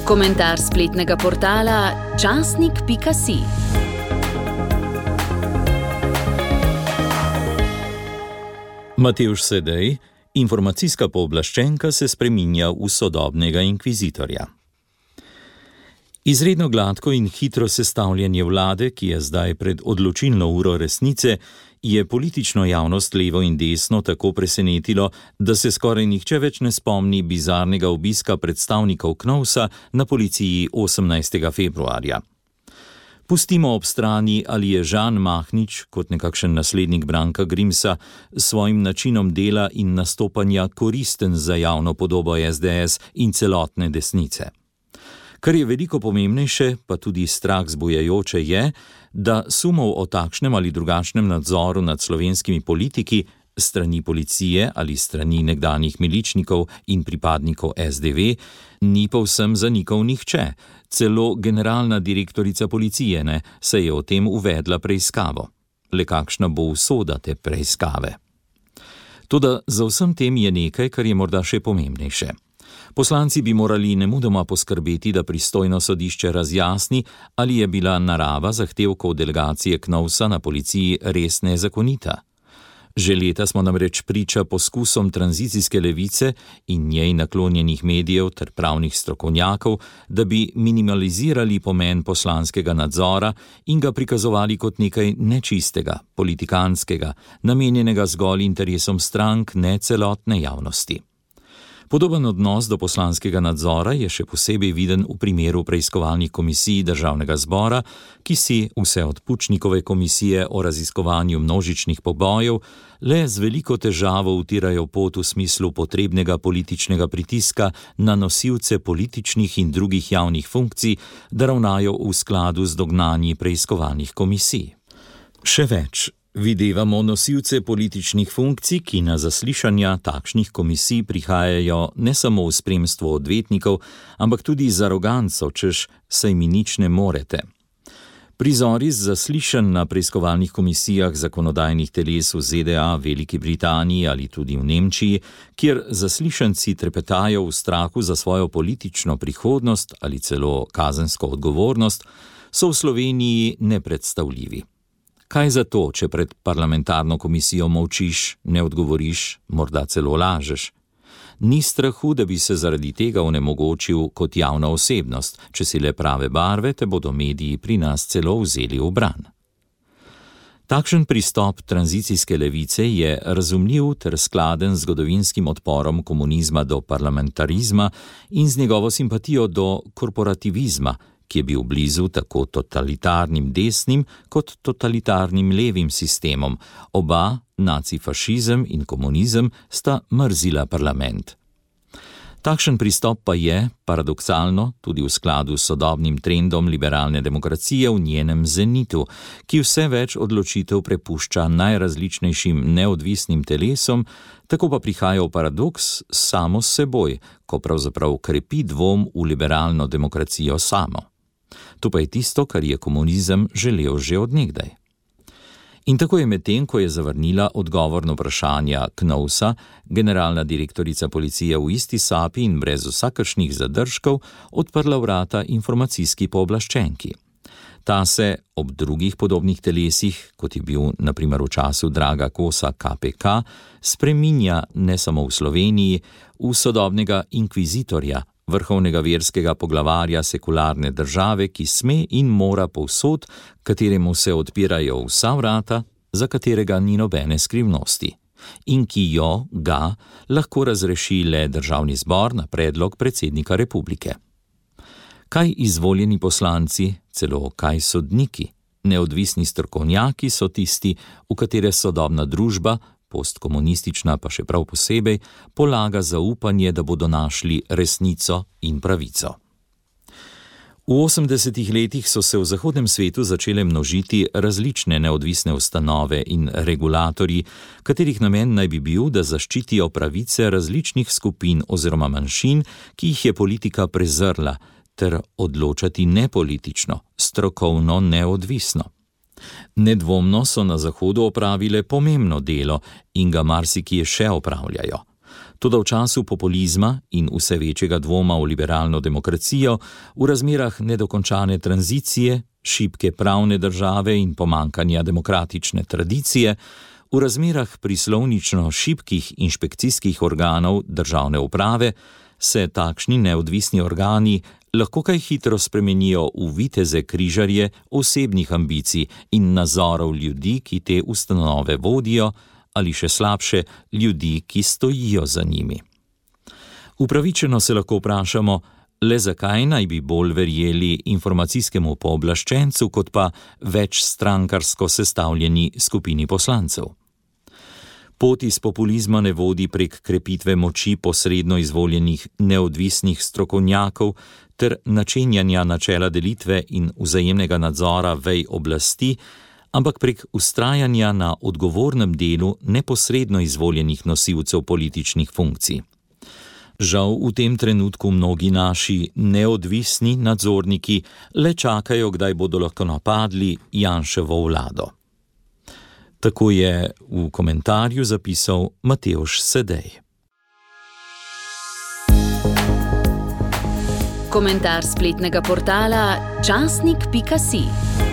Komentar spletnega portala časnik.si. Matevž Sedej, informacijska pooblaščenka se spreminja v sodobnega inkvizitorja. Izredno gladko in hitro sestavljanje vlade, ki je zdaj pred odločilno uro resnice, je politično javnost levo in desno tako presenetilo, da se skoraj nihče več ne spomni bizarnega obiska predstavnikov KNOVS-a na policiji 18. februarja. Pustimo ob strani, ali je Žan Mahnič, kot nekakšen naslednik Branka Grimsa, s svojim načinom dela in nastopanja koristen za javno podobo SDS in celotne desnice. Kar je veliko pomembnejše, pa tudi strah zbujajoče je, da sumov o takšnem ali drugačnem nadzoru nad slovenskimi politiki, strani policije ali strani nekdanjih miličnikov in pripadnikov SDV, ni povsem zanikal nihče. Celo generalna direktorica policije ne, se je o tem uvedla preiskavo. Le kakšna bo usoda te preiskave? Toda za vsem tem je nekaj, kar je morda še pomembnejše. Poslanci bi morali nemudoma poskrbeti, da pristojno sodišče razjasni, ali je bila narava zahtevkov delegacije KNOVS-a na policiji res nezakonita. Že leta smo namreč priča poskusom tranzicijske levice in njej naklonjenih medijev ter pravnih strokovnjakov, da bi minimalizirali pomen poslanskega nadzora in ga prikazovali kot nekaj nečistega, politikanskega, namenjenega zgolj interesom strank, ne celotne javnosti. Podoben odnos do poslanskega nadzora je še posebej viden v primeru preiskovalnih komisij Državnega zbora, ki si vse od Pučnikove komisije o raziskovanju množičnih pobojev le z veliko težavo utirajo pot v smislu potrebnega političnega pritiska na nosilce političnih in drugih javnih funkcij, da ravnajo v skladu z dognanji preiskovalnih komisij. Še več. Videvamo nosilce političnih funkcij, ki na zaslišanja takšnih komisij prihajajo ne samo v spremstvu odvetnikov, ampak tudi z aroganco, češ saj mi nič ne morete. Prizori z zaslišanj na preiskovalnih komisijah zakonodajnih teles v ZDA, Veliki Britaniji ali tudi v Nemčiji, kjer zaslišanci trepetajo v strahu za svojo politično prihodnost ali celo kazensko odgovornost, so v Sloveniji nepredstavljivi. Kaj za to, če pred parlamentarno komisijo molčiš, ne odgovoriš, morda celo lažeš? Ni strahu, da bi se zaradi tega onemogočil kot javna osebnost, če si le prave barve, te bodo mediji pri nas celo vzeli v bran. Takšen pristop tranzicijske levice je razumljiv ter skladen z zgodovinskim odporom komunizma do parlamentarizma in z njegovo simpatijo do korporativizma, ki je bil blizu tako totalitarnim desnim kot totalitarnim levim sistemom. Oba, nacifašizem in komunizem, sta mrzila parlament. Takšen pristop pa je, paradoksalno, tudi v skladu s sodobnim trendom liberalne demokracije v njenem zenitu, ki vse več odločitev prepušča najrazličnejšim neodvisnim telesom, tako pa prihaja v paradoks samo s seboj, ko pravzaprav krepi dvom v liberalno demokracijo samo. To pa je tisto, kar je komunizem želel že od nekdaj. In tako je medtem, ko je zavrnila odgovor na vprašanja KNOVS-a, generalna direktorica policije v isti sapi in brez vsakršnih zadržkov odprla vrata informacijski pooblaščenki. Ta se ob drugih podobnih telesih, kot je bil na primer v času Draga Kosa KPK, spreminja ne samo v Sloveniji, v sodobnega inkvizitorja, vrhovnega verskega poglavarja sekularne države, ki sme in mora povsod, kateremu se odpirajo vsa vrata, za katerega ni nobene skrivnosti, in ki ga lahko razreši le Državni zbor na predlog predsednika republike. Kaj izvoljeni poslanci, celo kaj sodniki, neodvisni strokovnjaki so tisti, v katere sodobna družba, postkomunistična pa še prav posebej, polaga zaupanje, da bodo našli resnico in pravico. V 80. letih so se v zahodnem svetu začele množiti različne neodvisne ustanove in regulatorji, katerih namen naj bi bil, da zaščitijo pravice različnih skupin oziroma manjšin, ki jih je politika prezrla, ter odločati nepolitično, strokovno neodvisno. Nedvomno so na Zahodu opravile pomembno delo in ga marsikje še opravljajo. Toda v času populizma in vse večjega dvoma v liberalno demokracijo, v razmerah nedokončane tranzicije, šibke pravne države in pomankanja demokratične tradicije, v razmerah prislovnično šibkih inšpekcijskih organov državne uprave, se takšni neodvisni organi lahko kaj hitro spremenijo v viteze križarje osebnih ambicij in nazorov ljudi, ki te ustanove vodijo, ali še slabše, ljudi, ki stojijo za njimi. Upravičeno se lahko vprašamo, le zakaj naj bi bolj verjeli informacijskemu pooblaščencu, kot pa večstrankarsko sestavljeni skupini poslancev. Pot iz populizma ne vodi prek krepitve moči posredno izvoljenih neodvisnih strokovnjakov ter načenjanja načela delitve in vzajemnega nadzora vej oblasti, ampak prek vztrajanja na odgovornem delu neposredno izvoljenih nosilcev političnih funkcij. Žal v tem trenutku mnogi naši neodvisni nadzorniki le čakajo, kdaj bodo lahko napadli Janševo vlado. Tako je v komentarju zapisal Matevž Sedej. Komentar spletnega portala časnik.si.